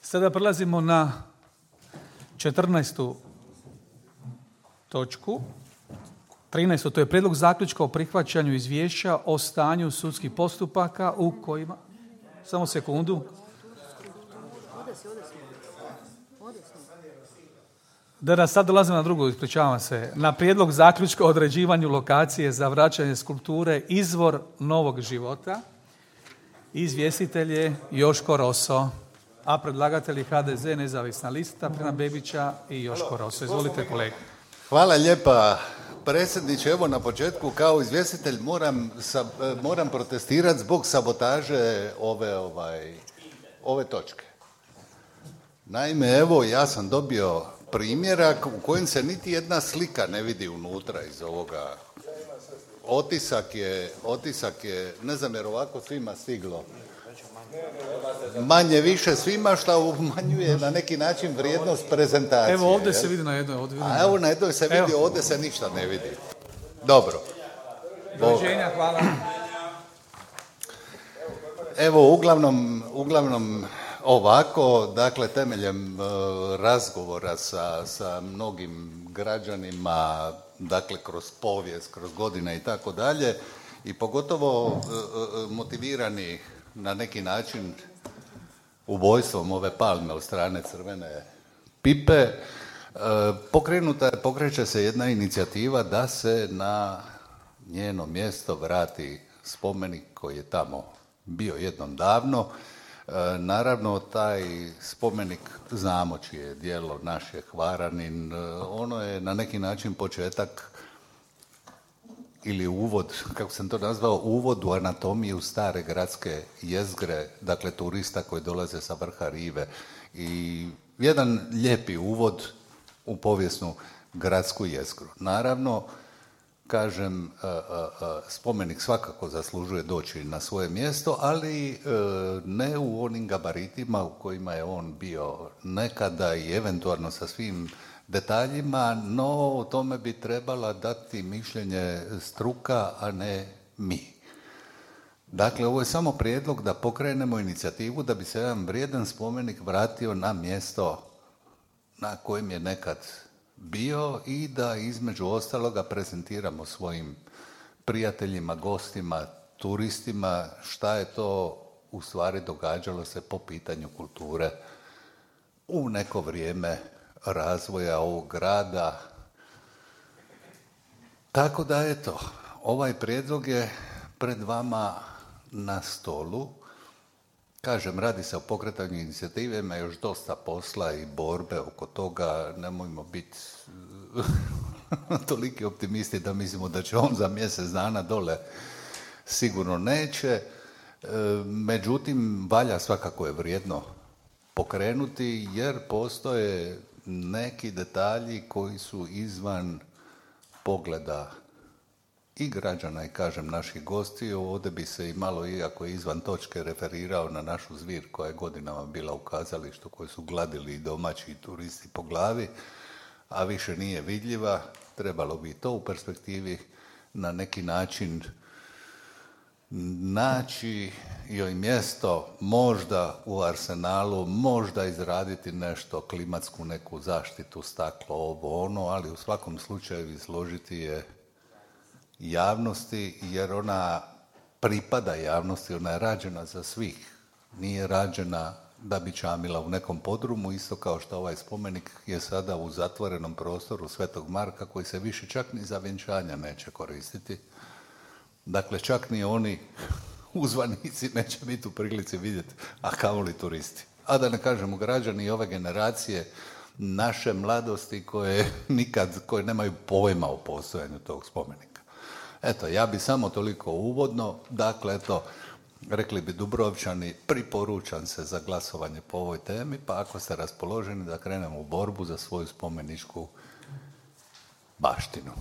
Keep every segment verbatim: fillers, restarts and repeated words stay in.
Sada prelazimo na četrnaestu točku. trinaestu. To je prijedlog zaključka o prihvaćanju izvješća o stanju sudskih postupaka u kojima... Samo sekundu. Da, da, sad dolazimo na drugu, ispričavam se. Na prijedlog zaključka o određivanju lokacije za vraćanje skulpture Izvor novog života. Izvjestitelj je Joško Roso, a predlagatelji H D Z, Nezavisna lista, Frana Bebića i Joško Roso. Izvolite, kolega. Hvala lijepa, predsjedniče. Evo na početku kao izvjestitelj moram, sab, moram protestirati zbog sabotaže ove, ovaj, ove točke. Naime, evo ja sam dobio primjerak u kojem se niti jedna slika ne vidi unutra iz ovoga. Otisak je, otisak je, ne znam jer ovako svima stiglo. Manje više svima što umanjuje na neki način vrijednost prezentacije. Evo ovdje se vidi na jednoj. Ovdje A evo na jednoj se vidi, evo. Ovdje se ništa ne vidi. Dobro. Doviđenja, hvala. Evo, uglavnom, uglavnom ovako, dakle, temeljem uh, razgovora sa, sa mnogim građanima, dakle, kroz povijest, kroz godine i tako dalje, i pogotovo uh, uh, motivirani na neki način ubojstvom ove palme od strane Crvene pipe, uh, pokrenuta, pokreće se jedna inicijativa da se na njeno mjesto vrati spomenik koji je tamo bio jednom davno. E, naravno, taj spomenik znamo čije je djelo, naš je Hvaranin, e, ono je na neki način početak ili uvod, kako sam to nazvao, uvod u anatomiju stare gradske jezgre, dakle turista koji dolaze sa vrha rive, i jedan lijepi uvod u povijesnu gradsku jezgru. Naravno, kažem, spomenik svakako zaslužuje doći na svoje mjesto, ali ne u onim gabaritima u kojima je on bio nekada i eventualno sa svim detaljima, no o tome bi trebala dati mišljenje struka, a ne mi. Dakle, ovo je samo prijedlog da pokrenemo inicijativu da bi se jedan vrijedan spomenik vratio na mjesto na kojem je nekad bio i da između ostaloga prezentiramo svojim prijateljima, gostima, turistima šta je to u stvari događalo se po pitanju kulture u neko vrijeme razvoja ovog grada. Tako da eto, ovaj prijedlog je pred vama na stolu. Kažem, radi se o pokretanju inicijative, ima još dosta posla i borbe oko toga, nemojmo biti toliki optimisti da mislimo da će on za mjesec dana dole, sigurno neće. Međutim, valja svakako je vrijedno pokrenuti jer postoje neki detalji koji su izvan pogleda i građana i, kažem, naših gostiju. Ovdje bi se i malo, iako je izvan točke, referirao na našu zvir koja je godinama bila u kazalištu, koju su gladili i domaći turisti po glavi, a više nije vidljiva. Trebalo bi to u perspektivi na neki način naći joj mjesto, možda u arsenalu, možda izraditi nešto, klimatsku neku zaštitu, staklo, ovo, ono, ali u svakom slučaju izložiti je javnosti, jer ona pripada javnosti, ona je rađena za svih. Nije rađena da bi čamila u nekom podrumu, isto kao što ovaj spomenik je sada u zatvorenom prostoru Svetog Marka, koji se više čak ni za vjenčanja neće koristiti. Dakle, čak ni oni uzvanici neće biti u prilici vidjeti, a kamoli turisti. A da ne kažemo građani ove generacije naše mladosti koje nikad, koje nemaju pojma o postojanju tog spomenika. Eto, ja bi samo toliko uvodno, dakle, eto, rekli bi Dubrovčani, priporučam se za glasovanje po ovoj temi, pa ako ste raspoloženi da krenemo u borbu za svoju spomeničku baštinu.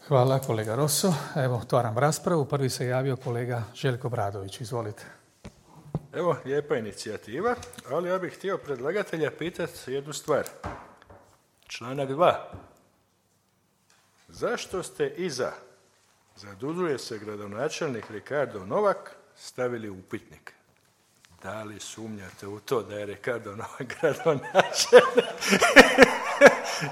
Hvala, kolega Roso. Evo, otvaram raspravu. Prvi se javio kolega Željko Bradović. Izvolite. Evo, lijepa inicijativa, ali ja bih htio predlagatelja pitati jednu stvar. Članak dva. Zašto ste iza zadužuje se gradonačelnik Ricardo Novak stavili upitnik? Da li sumnjate u to da je Ricardo Novak gradonačelnik?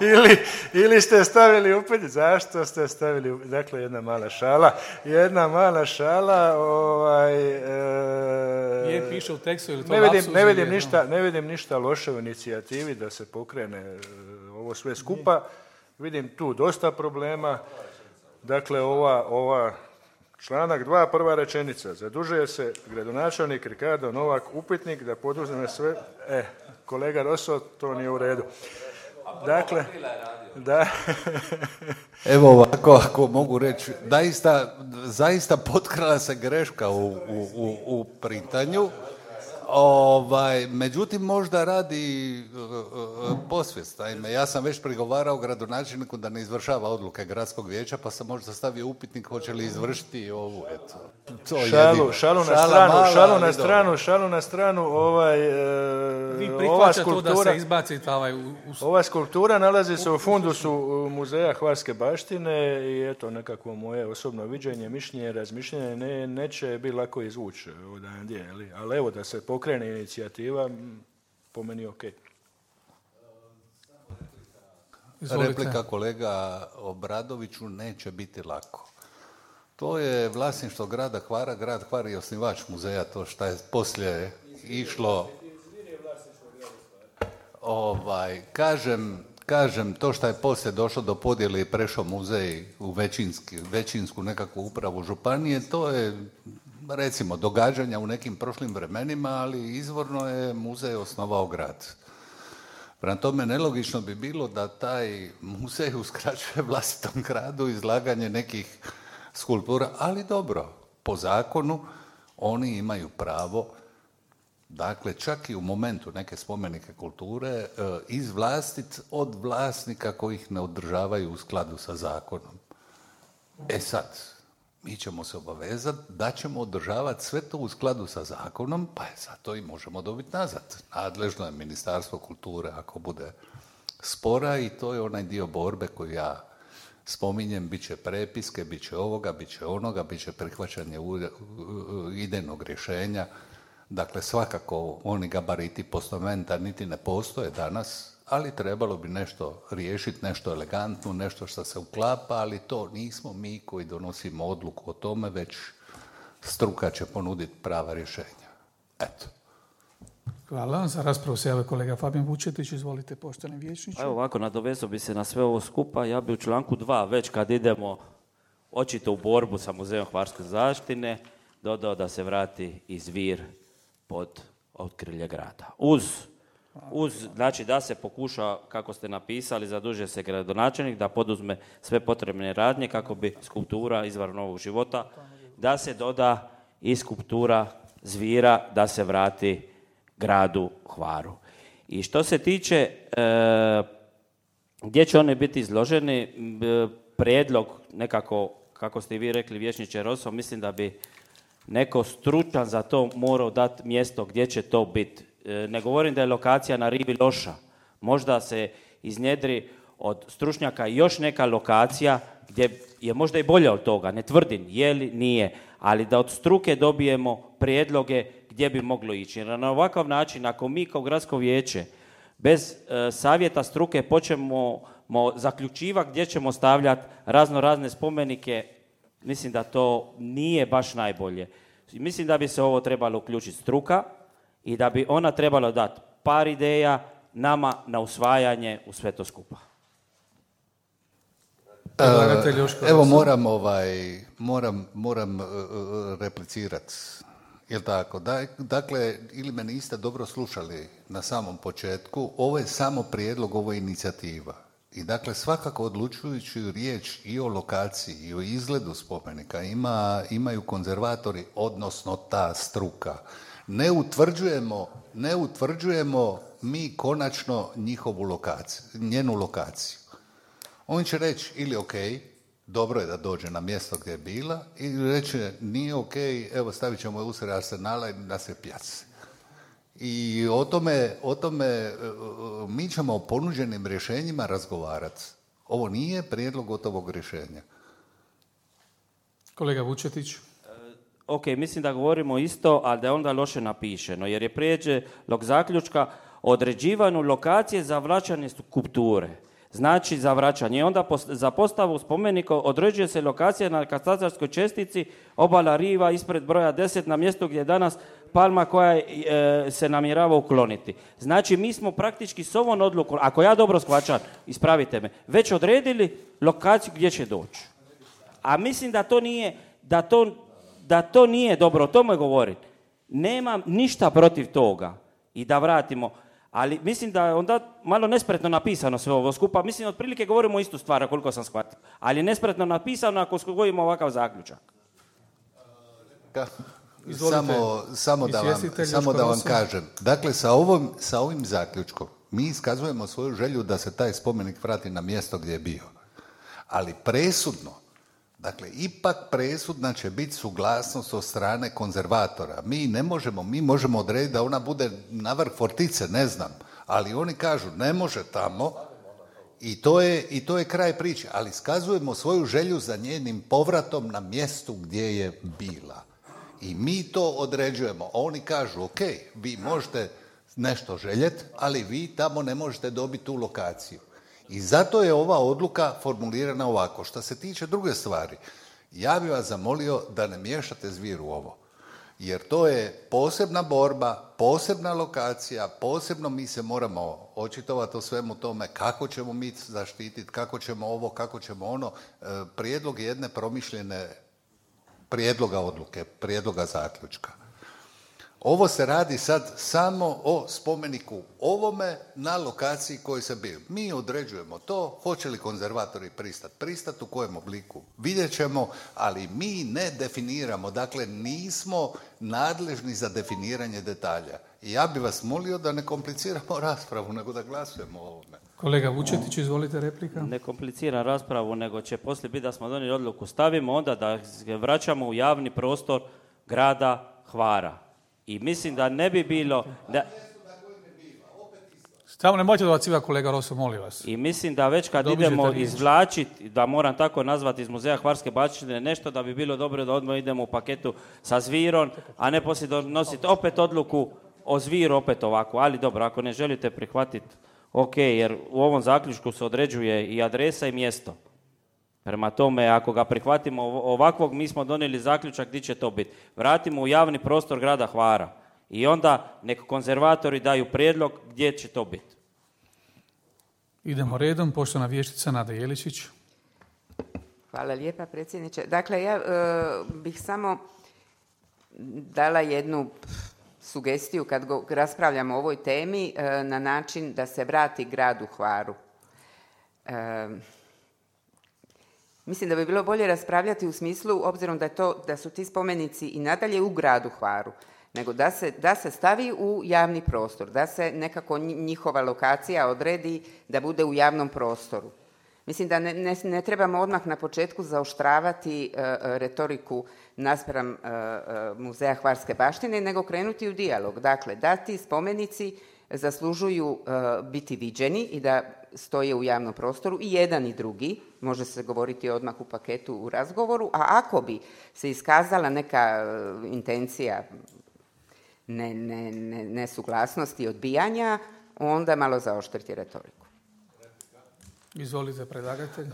ili, ili ste stavili upit, zašto ste stavili upit? Dakle, jedna mala šala. Jedna mala šala. Ovaj, e, je, piše u tekstu ili to ne vidim, lapsus ne vidim, je, ništa, ne vidim ništa loše u inicijativi da se pokrene ovo sve skupa. Vidim tu dosta problema. Dakle, ova, ova članak dva, prva rečenica. Zadužuje se gradonačelnik Ricardo Novak, upitnik da poduzme sve... E, kolega Rosso, to nije u redu. Dakle, da... Evo ovako, ako mogu reći, zaista, zaista potkrala se greška u, u, u, u printanju. Ovaj, međutim, možda radi uh, posvijest. Naime, ja sam već prigovarao gradonačelniku da ne izvršava odluke gradskog vijeća, pa sam možda stavio upitnik hoće li izvršiti ovu, eto. To šalu, šalu na Šala stranu, mala, šalu na ali stranu, dobro. šalu na stranu, ovaj, e, Vi ova prihvaćate to da skulptura, se izbacite ovaj... U, u... ova skulptura nalazi se u fundusu muzeja Hvarske baštine i eto nekako moje osobno viđenje, mišljenje, razmišljenje ne, neće biti lako izvući odandje, ali evo da se pokrene inicijativa, po meni ok. Izvolite. Replika kolega Obradoviću, neće biti lako. To je vlasništvo grada Hvara, grad Hvar je osnivač muzeja, to što je poslije išlo... Ovaj, kažem, kažem, to što je poslije došlo do podjele i prešao muzej u većinski, većinsku nekakvu upravu županije, to je, recimo, događanja u nekim prošlim vremenima, ali izvorno je muzej osnovao grad. Prema tome, nelogično bi bilo da taj muzej uskraćuje vlastitom gradu izlaganje nekih skulptura, ali dobro, po zakonu oni imaju pravo, dakle, čak i u momentu neke spomenike kulture, izvlastiti od vlasnika koji ih ne održavaju u skladu sa zakonom. E sad, mi ćemo se obavezati da ćemo održavati sve to u skladu sa zakonom, pa je zato i možemo dobiti nazad. Nadležno je Ministarstvo kulture ako bude spora i to je onaj dio borbe koju ja spominjem, bit će prepiske, bit će ovoga, bit će onoga, bit će prihvaćanje idejnog rješenja. Dakle, svakako oni gabariti postomenta niti ne postoje danas, ali trebalo bi nešto riješiti, nešto elegantno, nešto što se uklapa, ali to nismo mi koji donosimo odluku o tome, već struka će ponuditi prava rješenja. Eto. Hvala. Za raspravu se javio kolega Fabijan Vučetić. Izvolite, poštovani vijećniče. Evo ovako, nadovezao bi se na sve ovo skupa. Ja bi u članku dva, već kad idemo očito u borbu sa Muzejom Hvarske zaštine, dodao da se vrati i zvir pod okrilje grada. Uz, uz, znači da se pokuša, kako ste napisali, zadužuje se gradonačelnik da poduzme sve potrebne radnje kako bi skulptura izvor novog života, da se doda i skulptura zvira da se vrati gradu Hvaru. I što se tiče e, gdje će oni biti izloženi, e, prijedlog nekako, kako ste i vi rekli, vijećniče Rosso, mislim da bi neko stručan za to morao dati mjesto gdje će to biti. E, ne govorim da je lokacija na rivi loša. Možda se iznjedri od stručnjaka još neka lokacija gdje je možda i bolja od toga. Ne tvrdim je li, nije, ali da od struke dobijemo prijedloge gdje bi moglo ići. Jer na ovakav način, ako mi kao gradsko vijeće bez e, savjeta struke počnemo zaključivati gdje ćemo stavljati razno razne spomenike, mislim da to nije baš najbolje. Mislim da bi se ovo trebalo uključiti struka i da bi ona trebala dati par ideja nama na usvajanje u sve to skupa. Uh, evo moram ovaj moram moram uh, replicirati. Jel tako? Da, dakle, ili me niste dobro slušali na samom početku, ovo je samo prijedlog, ovo je inicijativa. I dakle, svakako odlučujući riječ i o lokaciji i o izgledu spomenika ima, imaju konzervatori, odnosno ta struka. Ne utvrđujemo, ne utvrđujemo mi konačno njihovu lokaciju, njenu lokaciju. On će reći ili ok, dobro je da dođe na mjesto gdje je bila, ili reći nije ok, evo stavit ćemo je usred Arsenala i na se pjaci. I o tome, o tome mi ćemo o ponuđenim rješenjima razgovarati. Ovo nije prijedlog gotovog rješenja. Kolega Vučetić. ok, mislim da govorimo isto, ali da je onda loše napišeno, jer je prijedlog zaključka određivanju lokacije za vraćanje skulpture. Znači za vraćanje. I onda za postavu spomenika određuje se lokacija na katastarskoj čestici obala riva ispred broja deset na mjestu gdje je danas palma koja e, se namjerava ukloniti. Znači mi smo praktički s ovom odlukom, ako ja dobro shvaćam, ispravite me, već odredili lokaciju gdje će doći. A mislim da to nije, da to, da to nije dobro, o tome govorim. Nemam ništa protiv toga i da vratimo. Ali mislim da je onda malo nespretno napisano sve ovo skupa. Mislim, otprilike govorimo istu stvar, koliko sam shvatio. Ali je nespretno napisano ako skojimo ovakav zaključak. Samo, samo da vam, samo da vam kažem. Dakle, sa, ovom, sa ovim zaključkom mi iskazujemo svoju želju da se taj spomenik vrati na mjesto gdje je bio. Ali presudno, dakle, ipak presudna će biti suglasnost od strane konzervatora. Mi ne možemo, mi možemo odrediti da ona bude na vrh fortice, ne znam, ali oni kažu ne može tamo i to je, i to je kraj priče. Ali iskazujemo svoju želju za njenim povratom na mjestu gdje je bila. I mi to određujemo. Oni kažu, ok, vi možete nešto željeti, ali vi tamo ne možete dobiti tu lokaciju. I zato je ova odluka formulirana ovako. Što se tiče druge stvari, ja bih vas zamolio da ne miješate zvir u ovo. Jer to je posebna borba, posebna lokacija, posebno mi se moramo očitovati o svemu tome kako ćemo mi zaštititi, kako ćemo ovo, kako ćemo ono. Prijedlog jedne promišljene prijedloga odluke, prijedloga zaključka. Ovo se radi sad samo o spomeniku ovome na lokaciji koji se bio. Mi određujemo to, hoće li konzervatori pristati. Pristati u kojem obliku? Vidjet ćemo, ali mi ne definiramo. Dakle, nismo nadležni za definiranje detalja. I ja bih vas molio da ne kompliciramo raspravu, nego da glasujemo o ovome. Kolega Vučetić, izvolite replika. Ne kompliciram raspravu, nego će poslije biti da smo donijeli odluku. Stavimo onda da vraćamo u javni prostor grada Hvara. I mislim da ne bi bilo... Da... Samo nemojte dobacivati, kolega Roso, molim vas. I mislim da već kad Dobiđete idemo izvlačiti, da moram tako nazvati iz Muzeja Hvarske baštine nešto, da bi bilo dobro da odmah idemo u paketu sa Zvirom, a ne poslije donositi opet odluku o Zviru, opet ovako. Ali dobro, ako ne želite prihvatiti, ok, jer u ovom zaključku se određuje i adresa i mjesto. Prema tome, ako ga prihvatimo ovakvog, mi smo donijeli zaključak gdje će to biti. Vratimo u javni prostor grada Hvara. I onda nek konzervatori daju prijedlog gdje će to biti. Idemo redom, poštovana vještica Nada Jeličić. Hvala lijepa, predsjedniče. Dakle, ja e, bih samo dala jednu sugestiju kad go, raspravljamo o ovoj temi e, na način da se vrati gradu Hvaru. E, Mislim da bi bilo bolje raspravljati u smislu, obzirom da, je to, da su ti spomenici i nadalje u gradu Hvaru, nego da se, da se stavi u javni prostor, da se nekako njihova lokacija odredi da bude u javnom prostoru. Mislim da ne, ne, ne trebamo odmah na početku zaoštravati uh, retoriku naspram uh, uh, Muzeja Hvarske baštine, nego krenuti u dijalog. Dakle, da ti spomenici zaslužuju uh, biti viđeni i da stoje u javnom prostoru i jedan i drugi, može se govoriti odmah u paketu u razgovoru, a ako bi se iskazala neka uh, intencija ne, ne, ne, nesuglasnosti, odbijanja, onda malo zaoštriti retoriku. Izvolite, predlagatelj. E,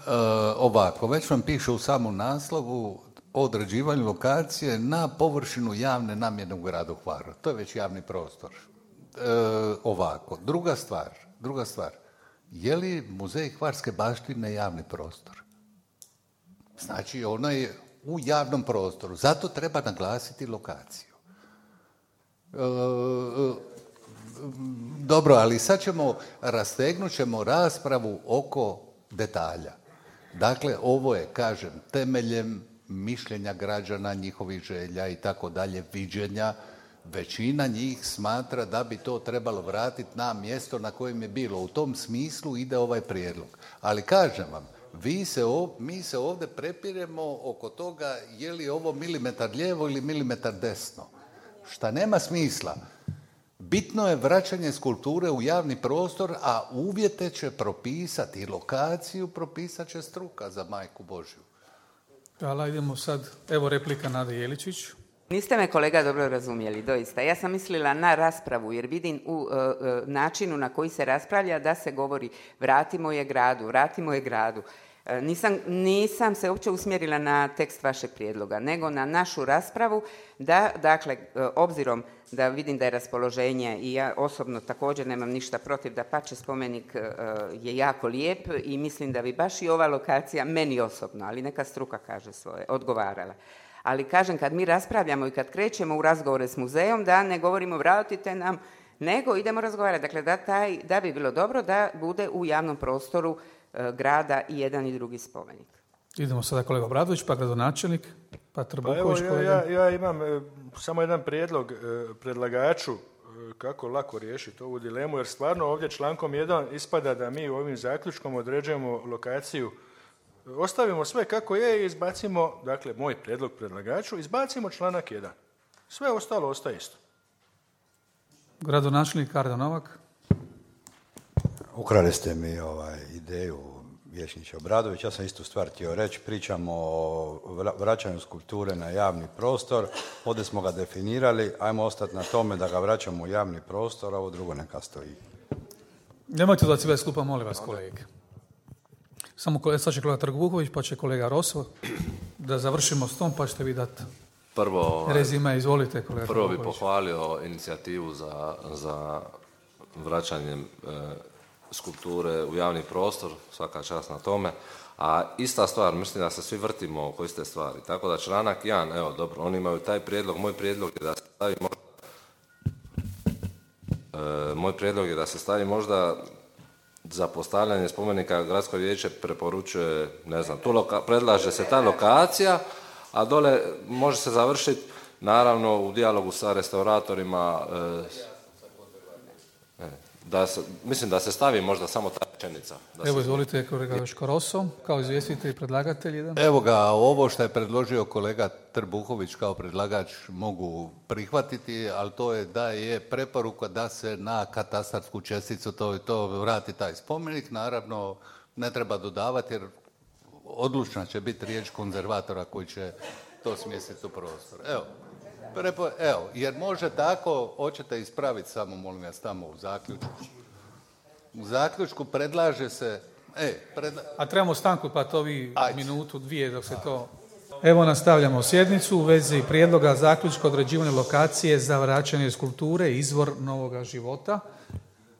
ovako, već vam piše u samom naslovu o određivanju lokacije na površinu javne namjene u gradu Hvaru. To je već javni prostor. E, ovako, druga stvar, druga stvar, je li Muzej Hvarske baštine javni prostor? Znači, ono je u javnom prostoru, zato treba naglasiti lokaciju. E, Dobro, ali sad ćemo, rastegnut ćemo raspravu oko detalja. Dakle, ovo je, kažem, temeljem mišljenja građana, njihovih želja i tako dalje, viđenja. Većina njih smatra da bi to trebalo vratiti na mjesto na kojem je bilo. U tom smislu ide ovaj prijedlog. Ali kažem vam, vi se ov, mi se ovdje prepiremo oko toga je li ovo milimetar lijevo ili milimetar desno. Šta nema smisla. Bitno je vraćanje skulpture u javni prostor, a uvjete će propisati i lokaciju propisat će struka za Majku Božju. Hvala, idemo sad. Evo replika Nada Jeličić. Niste me, kolega, dobro razumjeli, doista. Ja sam mislila na raspravu, jer vidim u uh, uh, načinu na koji se raspravlja da se govori vratimo je gradu, vratimo je gradu. Uh, nisam, nisam se uopće usmjerila na tekst vašeg prijedloga, nego na našu raspravu da, dakle, uh, obzirom da vidim da je raspoloženje i ja osobno također nemam ništa protiv, da pače spomenik uh, je jako lijep i mislim da bi baš i ova lokacija, meni osobno, ali neka struka kaže svoje, odgovarala. Ali kažem, kad mi raspravljamo i kad krećemo u razgovore s muzejom, da ne govorimo vratite nam, nego idemo razgovarati. Dakle, da, taj, da bi bilo dobro da bude u javnom prostoru e, grada i jedan i drugi spomenik. Idemo sada kolega Obradović, pa gradonačelnik, pa Trbuković. Pa evo, ja, ja, ja imam e, samo jedan prijedlog e, predlagaču e, kako lako riješiti ovu dilemu, jer stvarno ovdje člankom jedan ispada da mi ovim zaključkom određujemo lokaciju. Ostavimo sve kako je i izbacimo, dakle, moj prijedlog predlagaču, izbacimo članak jedan. Sve ostalo ostaje isto. Gradonačelnik Kardo Novak. Ukrali ste mi ovaj, ideju vijećniče Obradović. Ja sam istu stvar htio reći. Pričamo o vraćanju skulpture na javni prostor. Ovdje smo ga definirali. Ajmo ostati na tome da ga vraćamo u javni prostor, a ovo drugo neka stoji. Nemojte da cibe skupa, molim vas, kolege. Samo sad će kolega Trbuković, pa će kolega Roso, da završimo s tom, pa ćete vi dati prvo, rezime. Izvolite, kolega Prvo bi Trbuković. pohvalio inicijativu za, za vraćanje e, skulpture u javni prostor, svaka čast na tome. A ista stvar, mislim da se svi vrtimo oko iste stvari. Tako da članak jedan, evo dobro, oni imaju taj prijedlog, moj prijedlog je da se stavi možda, e, moj prijedlog je da se stavi možda za postavljanje spomenika gradsko vijeće preporučuje, ne znam, tu loka, predlaže se ta lokacija, a dole može se završiti naravno u dijalogu sa restauratorima, e, da se, mislim da se stavi možda samo ta rečenica. Evo, se... izvolite, kolega Joško Roso, kao izvjestitelj i predlagatelj. Jedan. Evo ga, ovo što je predložio kolega Trbuković kao predlagač mogu prihvatiti, ali to je da je preporuka da se na katastarsku česticu to, to vrati taj spomenik. Naravno, ne treba dodavati jer odlučna će biti riječ konzervatora koji će to smjestiti u prostor. Evo, prepo, evo jer može tako, hoćete ispraviti samo, molim vas, tamo u zaključku. U zaključku predlaže se... E, predla... A trebamo stanku, pa to vi Ajde. minutu, dvije dok se to... Evo, nastavljamo sjednicu u vezi prijedloga zaključka određivanja lokacije za vraćanje skulpture izvor novoga života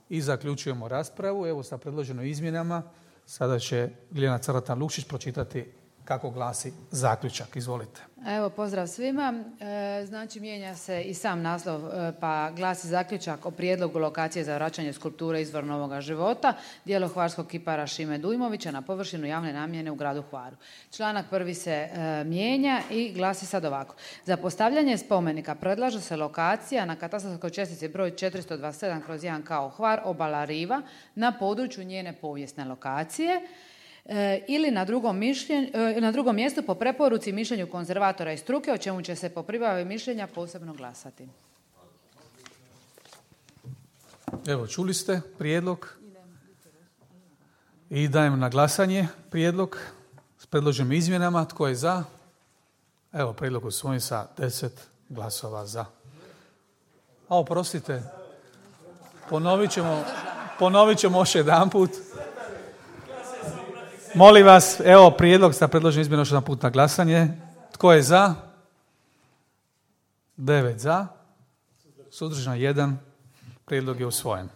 i zaključujemo raspravu. Evo, sa predloženim izmjenama sada će Ljiljana Cratan-Lukšić pročitati kako glasi zaključak. Izvolite. Evo, pozdrav svima. E, znači, mijenja se i sam naslov, e, pa glasi zaključak o prijedlogu lokacije za vraćanje skulpture izvor novoga života, djelo hvarskog kipara Šime Dujmovića na površinu javne namjene u gradu Hvaru. Članak prvi se e, mijenja i glasi sad ovako. Za postavljanje spomenika predlaže se lokacija na katastarskoj čestici broj četiristo dvadeset sedam kroz jedan kao Hvar, obala Riva, na području njene povijesne lokacije, E, ili na drugom, mišljen, e, na drugom mjestu po preporuci mišljenju konzervatora i struke, o čemu će se po pribavi mišljenja posebno glasati. Evo, čuli ste prijedlog i dajem na glasanje prijedlog s predloženim izmjenama. Tko je za? Evo, prijedlog usvojen sa deset glasova za. A oprostite, ponovit ćemo, ponovit ćemo još jedan put. Molim vas, evo prijedlog sa predloženim izmjenom još jedan put na glasanje. Tko je za? Devet za. Suzdržan jedan. Prijedlog je usvojen.